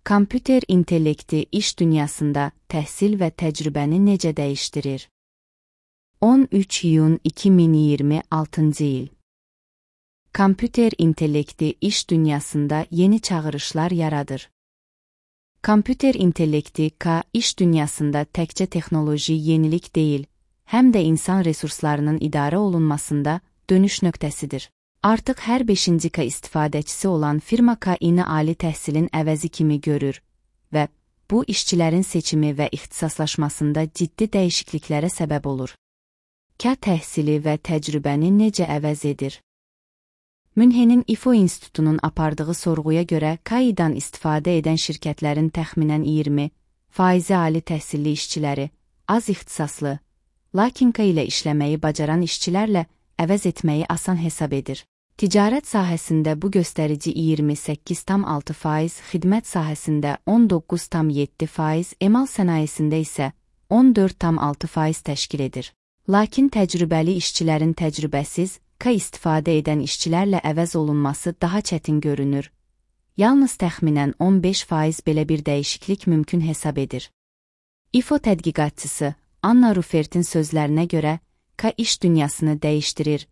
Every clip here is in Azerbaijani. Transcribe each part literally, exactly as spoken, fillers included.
Kompüter intellekti iş dünyasında təhsil və təcrübəni necə dəyişdirir? on üç iyun iki min iyirmi altıncı il. Kompüter intellekti iş dünyasında yeni çağırışlar yaradır. Kompüter intellekti K iş dünyasında təkcə texnoloji yenilik deyil, həm də insan resurslarının idarə olunmasında dönüş nöqtəsidir. Artıq hər beşinci K istifadəçisi olan firma K-ini ali təhsilin əvəzi kimi görür və bu işçilərin seçimi və ixtisaslaşmasında ciddi dəyişikliklərə səbəb olur. K təhsili və təcrübəni necə əvəz edir? Münhenin İFO İnstitutunun apardığı sorğuya görə K-dan istifadə edən şirkətlərin təxminən iyirmi faizi ali təhsilli işçiləri, az ixtisaslı, lakin K ilə işləməyi bacaran işçilərlə əvəz etməyi asan hesab edir. Ticarət sahəsində bu göstərici iyirmi səkkiz tam altı faiz, xidmət sahəsində on doqquz tam yeddi faiz, emal sənayesində isə on dörd tam altı faiz təşkil edir. Lakin təcrübəli işçilərin təcrübəsiz, K istifadə edən işçilərlə əvəz olunması daha çətin görünür. Yalnız təxminən on beş faiz belə bir dəyişiklik mümkün hesab edir. İFO tədqiqatçısı Anna Rufertin sözlərinə görə, K iş dünyasını dəyişdirir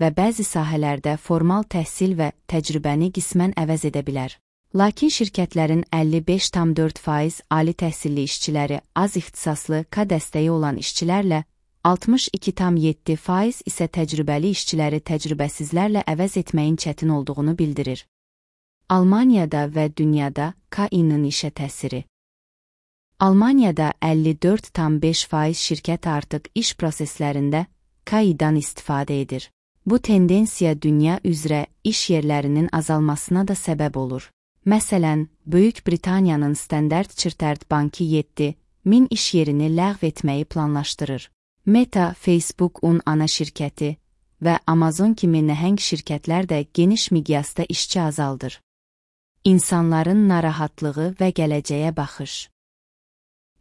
və bəzi sahələrdə formal təhsil və təcrübəni qismən əvəz edə bilər. Lakin şirkətlərin əlli beş tam dörd faiz ali təhsilli işçiləri, az ixtisaslı K dəstəyi olan işçilərlə, altmış iki tam yeddi faiz isə təcrübəli işçiləri təcrübəsizlərlə əvəz etməyin çətin olduğunu bildirir. Almaniyada və dünyada K-inin işə təsiri. Almaniyada əlli dörd tam beş faiz şirkət artıq iş proseslərində K-dan istifadə edir. Bu tendensiya dünya üzrə iş yerlərinin azalmasına da səbəb olur. Məsələn, Böyük Britaniyanın Standard Chartered Bankı yeddi min iş yerini ləğv etməyi planlaşdırır. Meta, Facebook-un ana şirkəti və Amazon kimi nəhəng şirkətlər də geniş miqyasda işçi azaldır. İnsanların narahatlığı və gələcəyə baxış.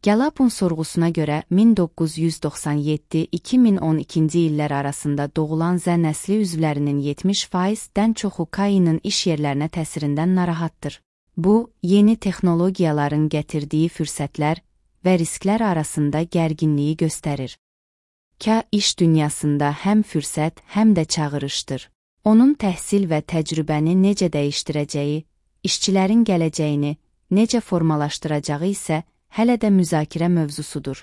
Gallup-un sorğusuna görə min doqquz yüz doxsan yeddi iki min on ikinci illər arasında doğulan Z nəsli üzvlərinin yetmiş faizdən çoxu K-inin iş yerlərinə təsirindən narahatdır. Bu, yeni texnologiyaların gətirdiyi fürsətlər və risklər arasında gərginliyi göstərir. K iş dünyasında həm fürsət, həm də çağırışdır. Onun təhsil və təcrübəni necə dəyişdirəcəyi, işçilərin gələcəyini necə formalaşdıracağı isə hələ də müzakirə mövzusudur.